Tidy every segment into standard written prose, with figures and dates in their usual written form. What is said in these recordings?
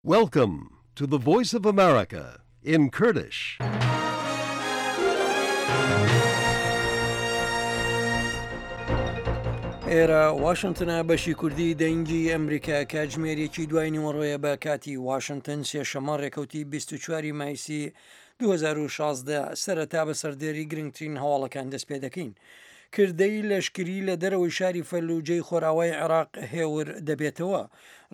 Welcome to the Voice of America in Kurdish. ئێرە واشنتنە بەشی کوردی دەنگی ئەمریکا کاتژمێرێکی دوای نیوەڕۆیە بە کاتی واشنتن سێشەمە ڕێکەوتی 24 مایسی 2016 سەرەتا بە سەردێری گرنگترین هەواڵەکان دەست پێ دەکەین. کردەی لەشکری لە دەرەوەی شاری فەلوجەی خۆراوای عێراق هێور دەبێتەوە.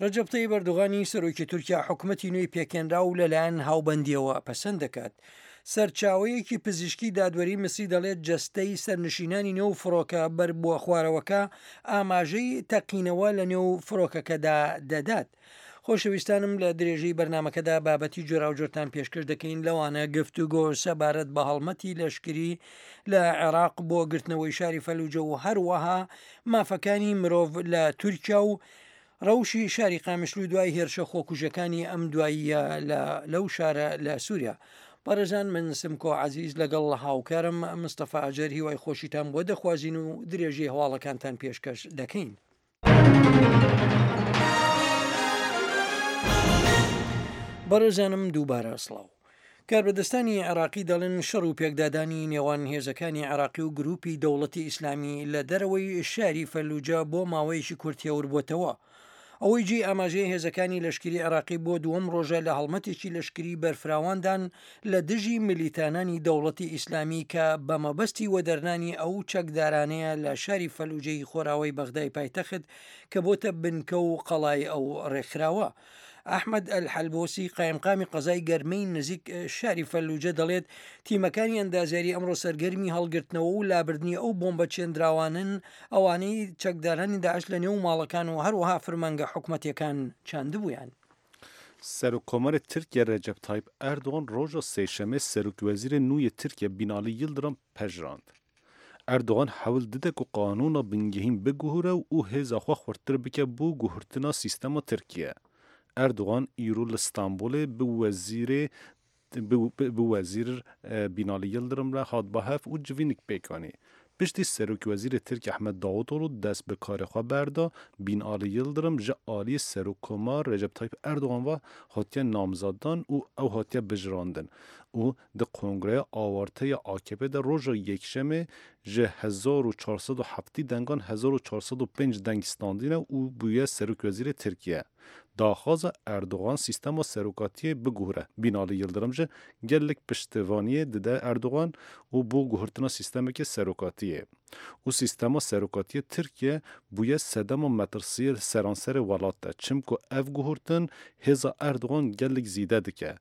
ڕەجەب تەیب ئەردۆغانی سەرۆکی تورکیا حکومەتی نوێی پێکهێنراو لەلایەن هاوبەندییەوە پەسەند دەکات. سەرچاوەیەکی پزیشکی دادوەری میسری دەڵێت جەستەی سەرنشینانی نێو فڕۆکە بەربووە خوارەوەکە ئاماژەی تەقینەوە لە نێو فڕۆکەکەدا دەدات. خۆشەویستانم لە درێژەی بەرنامەکەدا بابەتی جۆراوجۆرتان پێشکەش دەکەین لەوانە گفتوگۆ سەبارەت بە هەڵمەتی لەشکری لە عێراق بۆ گرتنەوەی شاری فەلوجە و هەروەها مافەکانی مرۆڤ لە تورکیا و ڕەوشی شاری قامیشلو دوای هێرشە خۆکوژەکانی ئەم دواییە لە لەو شارە لە سووریا. بەڕێزان من سمکۆ عەزیز لەگەڵ هاوکارم مستەفا ئەجەر هیوای خۆشیتان بۆ دەخوازین و درێژەی هەواڵەکانتان پێشکەش دەکەین. بەڕێزانم دووبارە سڵاو. کاربەدەستانی عێراقی دەڵێن شەڕ و پێکدادانی نێوان هێزەکانی عێراقی و گروپی دەوڵەتی ئیسلامی لە دەرەوەی شاری فەلوجە بۆ ماوەیەکی کورت هێوربووەتەوە. ئەوەی جێی ئاماژەیە هێزەکانی لەشکری عێراقی بۆ دووەم ڕۆژە لە هەڵمەتێکی لەشکری بەرفراواندان لە دژی ملیتانانی دەوڵەتی ئیسلامی کە بە مەبەستی وەدەرنانی ئەو چەکدارانەیە لە شاری فەلوجەی خۆراوای بەغدای پایتەخت کە بۆتە بنکە و قەڵای ئەو ڕێکخراوە. ئەحمەد ئەلحەلبۆسی قایمقامی قەزای گەرمەی نزیک شاری فەلوجە دەڵێت تیمەکانی ئەندازیاری ئەمڕۆ سەرگەرمی هەڵگرتنەوە و لابردنی ئەو بۆمبە چێندراوانەن ئەوانەی چەکدارانی داعش لە نێو ماڵەکان و هەروەها فرمانگە حکومەتیەکان چاندبوویان. Serokkomarê Tirkiye Recep Tayyip Erdogan roja sêşemê Serokwezîrê nû yê Tirkiye Bînalî Yildirim pejirand. Erdogan hewl dide ku qanûna bingehîn biguhure û hêza xwe xurttir bike bo guhertina sîstema Tirkiye. Erdogan îro li Stenbolê bi wezîrê bi wezîr Bînalî Yildirim re hat ba hev û civînik pêk anî. Piştî Serokwezîrê Tirk Ehmed Davutoglu dest bi karê xwe berda, Bînalî Yildirim ji aliyê Serokkomar Recep Tayyip Erdogan ve hatiye namzaddan û ew hatiye bijirandin û Di Kongreya Awarte ya AKP'ê de roja Yekşemê ji 1470 dengan 1405 deng standîne û bûye Serokwezîrê Tirkiye. Daxwaza Erdogan sîstema serokatiyê biguhire. Bînalî Yildirim jî gelek piştevaniyê dide Erdogan û bo guhertina sîstemeke serokatiyê. Û sîstema serokatiyê Tirkiye bûye sedema metirsiyê li seranserê welat de. Çimku ev guhertin hêza Erdogan gelek zîde dike.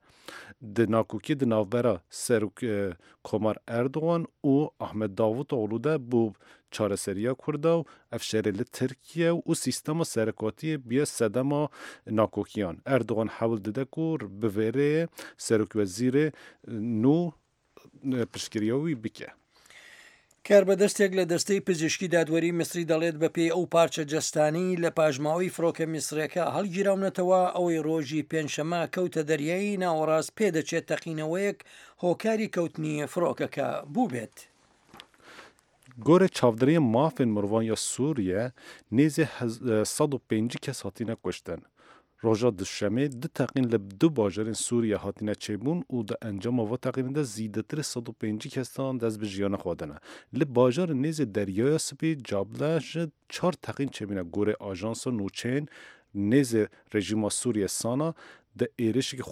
Di nakokî di navbera Serokkomar Erdogan û Ahmet Davutoglu de bû çareseriya Kurda û ev şerê li Tirkiye û sîstema serokatiyê bûye sedema nakokiyan. Erdogan hewl dide ku bi vê rêyê serokwezîrê nû پشتگریە wî bike. کاربەدەستێک لە دەستەی پزیشکی دادوەری میسری دەڵێت بەپێی ئەو پارچە جەستانەی لە پاشماوەی فڕۆکە میسریەکە هەڵگیراونەتەوە ئەوەی ڕۆژی پێنجشەممە کەوتە دەریای ناوەڕاست پێدەچێت تەقینەوەیەک هۆکاری کەوتنی فڕۆکەکە بووبێت. Gorê çavdêriyên mafên mirovan ya Sûriye nêzî 150 kes hatine kuştin. Roja Duşemê du teqîn li du bajarên Sûriye hatine çêbûn û di encama va teqînê de zîdetirê 150 kesan dest bi jiyana xwe dane. Li bajarê nêzî Deryaya Spî Cable ji çar teqîn çêbûne gorê ajansa nûçeyên nêzî rejîma Sûriye Sana di êrişeke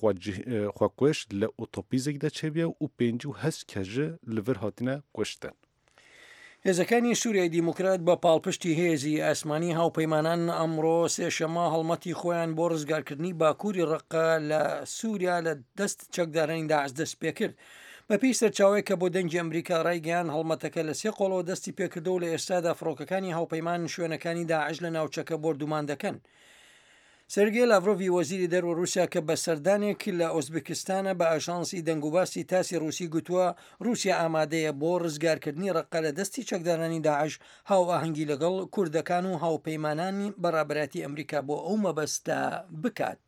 xwekuj li otobîzek de çêbûye û 58 kes ji li vir hatine kuştin. هێزەکانی سوریای دیموکرات بە پاڵپشتی هێزی ئاسمانی هاوپەیمانان ئەمڕۆ سێشەممە هەڵمەتی خۆیان بۆ ڕزگارکردنی باکووری ڕەققە لە سوریا لە دەست چەکدارانی داعش دەستپێکرد. بەپێی سەرچاوەیەک کە بۆ دەنگی ئەمریکا ڕایگەیاند هەڵمەتەکە لە سێ قۆڵەوە دەستی پێکردووە و لە ئێستادا فڕۆکەکانی هاوپەیمان شوێنەکانی داعش لە ناوچەکە بۆردومان دەکەن. سێرگێ لاڤرۆڤی وەزیری دەروە رووسیا کە بە سەردانێک لە ئۆزبکستانە بە ئاژانسی دەنگوباسی تاسی رووسی گوتووە رووسیا ئامادەیە بۆ رزگارکردنی رەققە لە دەستی چەکدارانی داعش هاوئاهەنگی لەگەڵ کوردەکان و هاوپەیمانانی بە رابەرایەتی ئەمریکا بۆ ئەو مەبەستە بکات.